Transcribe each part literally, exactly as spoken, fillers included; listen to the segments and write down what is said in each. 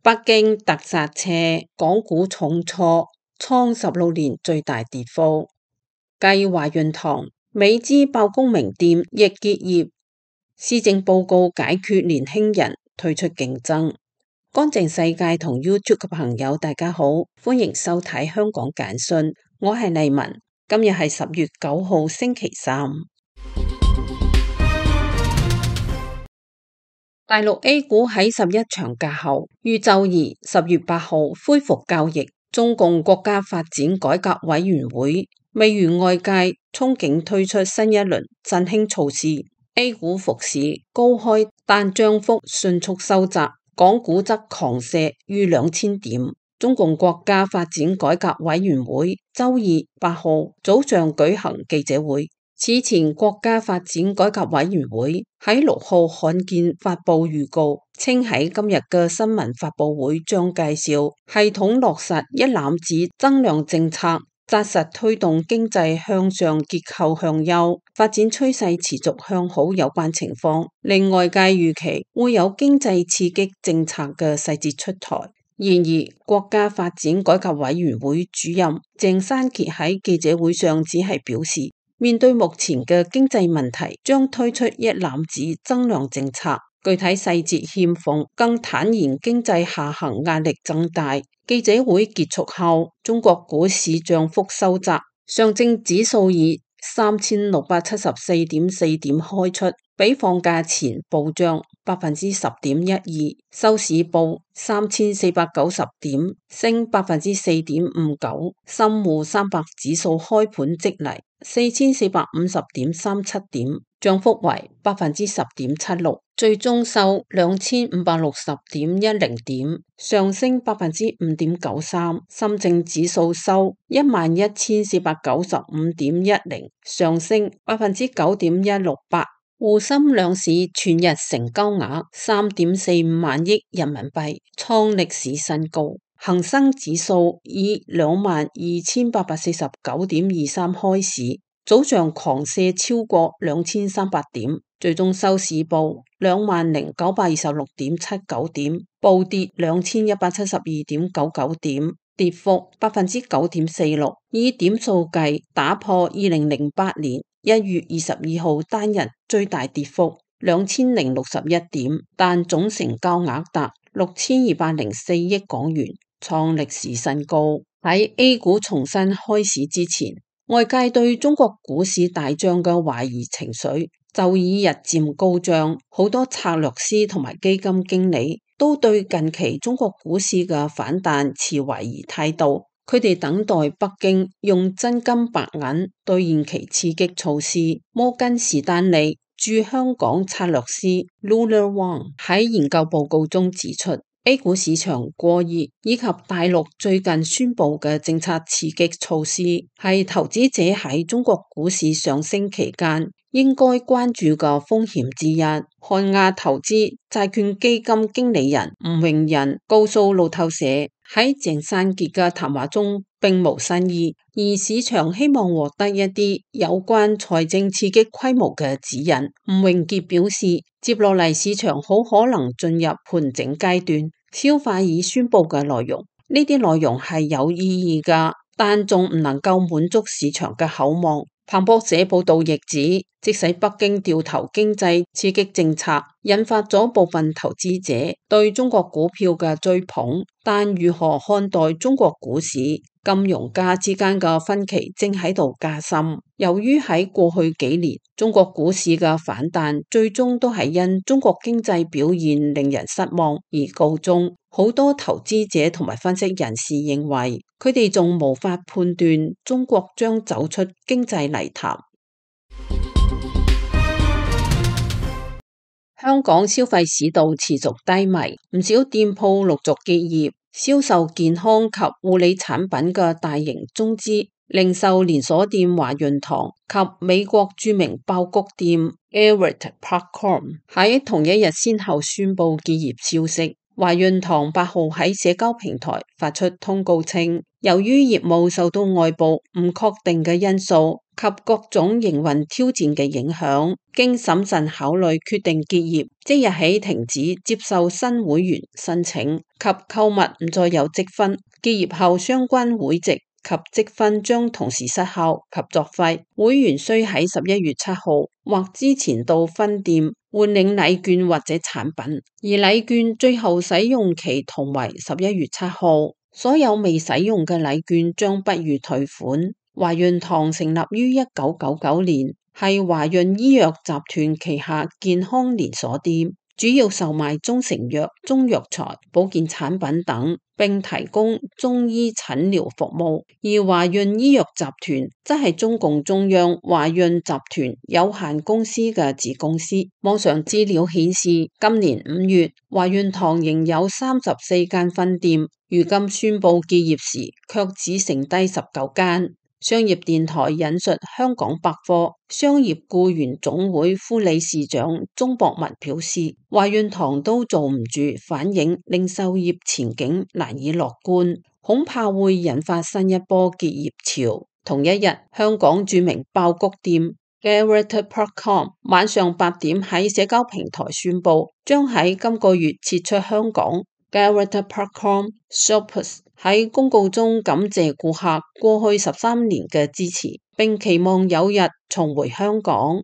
北京特剎車，港股重挫，創十六年最大跌幅。繼華潤堂、美資爆公名店亦結業，施政報告解決年輕人退出競爭。乾淨世界同 YouTube 嘅朋友大家好，歡迎收睇香港簡訊，我係麗文，今日係十月九號星期三。大陸 A 股喺十一長假後，於周二十月八號恢復交易。中共國家發展改革委員會未如外界憧憬推出新一輪振興措施 ，A 股復市高開，但漲幅迅速收窄，港股則狂瀉逾兩千點。中共國家發展改革委員會周二八號早上舉行記者會。此前，國家發展改革委員會喺六號罕見發布預告，稱喺今日嘅新聞發佈會將介紹系統落實一攬子增量政策，紮實推動經濟向上結構向優，發展趨勢持續向好有關情況，令外界預期會有經濟刺激政策嘅細節出台。然而，國家發展改革委員會主任鄭山傑喺記者會上只係表示，面對目前嘅經濟問題，將推出一攬子增量政策，具體細節欠奉，更坦言經濟下行壓力增大。記者會結束後，中國股市漲幅收窄，上證指數以三千六百七十四點四點開出，比放假前暴漲百分之十點一二，收市報三千四百九十點，升百分之四點五九。深滬三百指數開盤即嚟四千四百五十點三七點，漲幅為百分之十點七六，最終收兩千五百六十點一零點，上升百分之五點九三。深證指數收一萬一千四百九十五點一零，上升百分之九點一六八。滬深兩市全日成交額三點四五萬億人民幣，創歷史新高。恒生指數以兩萬二千八百四十九點二三開市，早上狂瀉超過兩千三百點，最終收市報兩萬零九百二十六點七九點，暴跌兩千一百七十二點九九點，跌幅百分之九點四六，以點數計打破二零零八年一月二十二號單日最大跌幅兩千零六十一點，但總成交額達六千二百零四億港元，創歷史新高。喺 A 股重新開市之前，外界對中國股市大漲嘅懷疑情緒就已日漸高漲，好多策略師同埋基金經理都對近期中國股市嘅反彈持懷疑態度。佢哋等待北京用真金白銀兌現其刺激措施。摩根士丹利駐香港策略師 Lula Wang 喺研究報告中指出， A 股市場過熱以及大陸最近宣布嘅政策刺激措施係投資者喺中國股市上升期間應該關注嘅風險之一。漢亞投資債券基金經理人吳榮仁告訴路透社，喺鄭山傑嘅談話中並無新意，而市場希望獲得一啲有關財政刺激規模嘅指引。吳榮傑表示，接落嚟市場好可能進入盤整階段，消化已宣布嘅內容。呢啲內容係有意義㗎，但仲唔能夠滿足市場嘅厚望。彭博社報道亦指，即使北京掉頭經濟刺激政策引發咗部分投資者對中國股票嘅追捧，但如何看待中國股市？金融家之間嘅分歧正喺度加深。由於喺過去幾年中國股市嘅反彈最終都係因中國經濟表現令人失望而告終，好多投資者同埋分析人士認為，佢哋仲無法判斷中國將走出經濟泥潭。香港消費市道持續低迷，唔少店鋪陸續結業。銷售健康及護理產品嘅大型中資零售連鎖店華潤堂及美國著名爆谷店 Everett Popcorn 喺同一日先後宣布結業消息。華潤堂八號喺社交平台發出通告稱，由於業務受到外部唔確定嘅因素，及各種營運挑戰嘅影響，經審慎考慮決定結業，即日起停止接受新會員申請及購物唔再有積分。結業後相關會籍及積分將同時失效及作廢。會員需喺十一月七號或之前到分店換領禮券或者產品，而禮券最後使用期同為十一月七號。所有未使用嘅禮券將不予退款。華潤堂成立於一九九九年，係華潤醫藥集團旗下健康連鎖店，主要售賣中成藥、中藥材、保健產品等，並提供中醫診療服務。而華潤醫藥集團則係中共中央華潤集團有限公司嘅子公司。網上資料顯示，今年五月，華潤堂仍有三十四間分店。如今宣布結業時，卻只剩低十九間。商業電台引述香港百貨商業僱員總會副理事長鍾博文表示，華潤堂都做唔住，反映零售業前景難以樂觀，恐怕會引發新一波結業潮。同一日，香港著名爆谷店 Garrett dot com 晚上八點喺社交平台宣布，將喺今個月撤出香港。Garrett dot com Shoppers 喺公告中感謝顧客過去十三年嘅支持，並期望有日重回香港。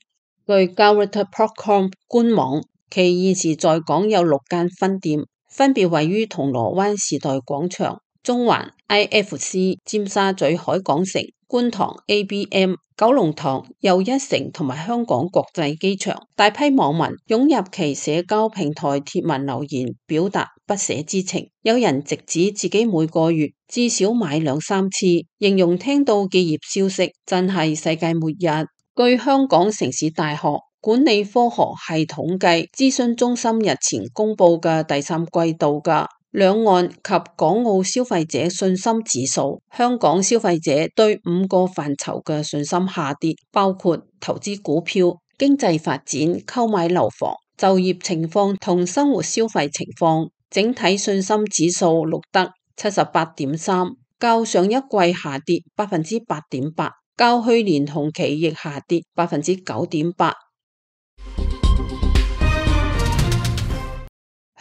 據 Garrett dot com 官網，其現時在港有六間分店，分別位於銅鑼灣時代廣場、中環 I F C、尖沙咀海港城、觀塘 A B M、九龍塘又一城同埋香港國際機場。大批網民湧入其社交平台貼文留言，表達不捨之情。有人直指自己每個月至少買兩三次，形容聽到結業消息真係世界末日。據香港城市大學管理科學系統計諮詢中心日前公布嘅第三季度嘅兩岸及港澳消費者信心指數，香港消費者對五個範疇嘅信心下跌，包括投資股票、經濟發展、購買樓房、就業情況同生活消費情況。整體信心指數錄得七十八點三，較上一季下跌百分之八點八，較去年同期亦下跌百分之九點八。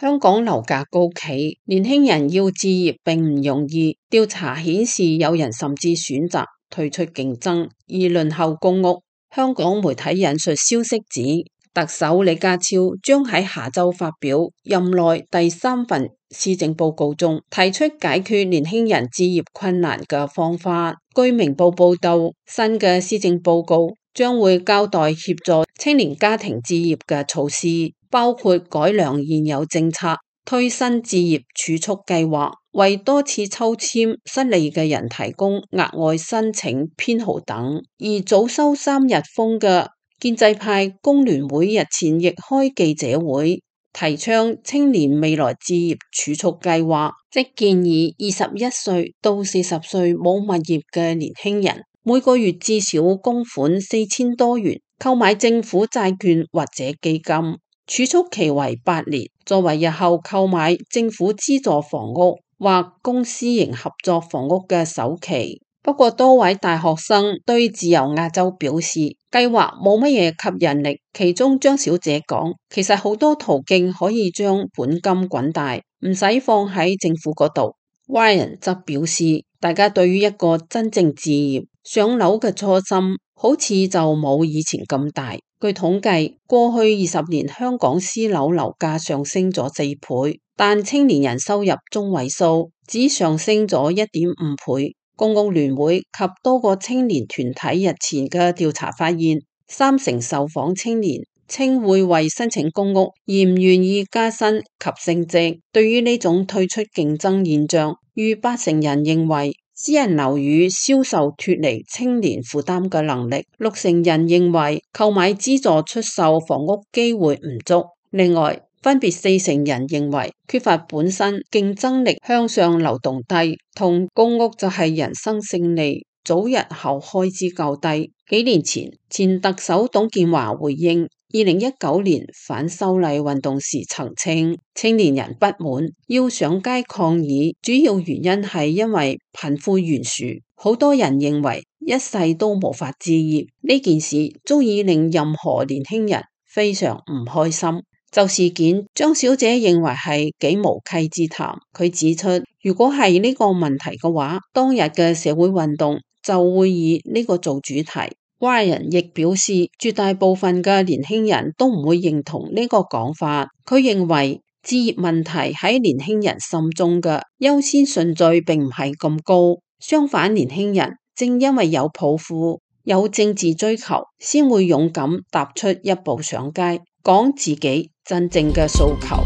香港樓價高企，年輕人要置業並唔容易。調查顯示，有人甚至選擇退出競爭而輪候公屋。香港媒體引述消息指，特首李家超將喺下週發表任內第三份施政報告中，提出解決年輕人置業困難嘅方法。據明報報道，新嘅施政報告將會交代協助青年家庭置業嘅措施，包括改良現有政策、推新置業儲蓄計劃、為多次抽籤失利嘅人提供額外申請編號等。而早收三日風嘅建制派工聯會日前亦開記者會，提倡青年未來置業儲蓄計劃，即建議二十一歲到四十歲冇物業嘅年輕人，每個月至少供款四千多元，購買政府債券或者基金，儲蓄期為八年，作為日後購買政府資助房屋或公私營合作房屋嘅首期。不過多位大學生對自由亞洲表示，計劃冇乜嘢吸引力。其中張小姐講，其實好多途徑可以將本金滾大，唔使放喺政府嗰度。Ryan 則表示，大家對於一個真正置業上樓嘅初心，好似就冇以前咁大。據統計，過去二十年香港私樓樓價上升咗四倍，但青年人收入中位數只上升咗一點五倍。公屋聯會及多個青年團體日前嘅調查發現，三成受訪青年稱會為申請公屋而唔願意加薪及升職。對於呢種退出競爭現象，逾八成人認為私人樓宇銷售脫離青年負擔嘅能力，六成人認為購買資助出售房屋機會唔足。另外，分別四成人認為缺乏本身競爭力向上流動低，同公屋就係人生勝利，早日後開支較低。幾年前，前特首董建華回應二零一九年反修例運動時曾稱，青年人不滿要上街抗議，主要原因係因為貧富懸殊，好多人認為一世都無法置業，呢件事足以令任何年輕人非常唔開心。就事件，張小姐認為係幾無稽之談。佢指出，如果係呢個問題嘅話，當日嘅社會運動就會以呢個做主題。Ryan 亦表示，絕大部分嘅年輕人都唔會認同呢個講法。佢認為置業問題喺年輕人心中嘅優先順序並唔係咁高，相反，年輕人正因為有抱負、有政治追求，先會勇敢踏出一步上街，講自己真正嘅訴求。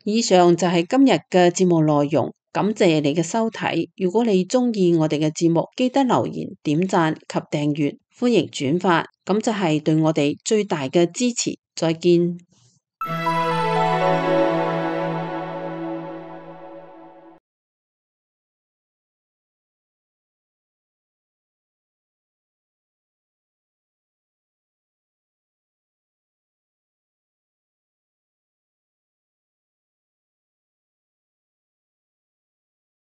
以上就係今日嘅節目內容。感謝你嘅收睇，如果你鍾意我哋嘅節目，記得留言、點讚及訂閱，歡迎轉發，咁就係對我哋最大嘅支持。再見。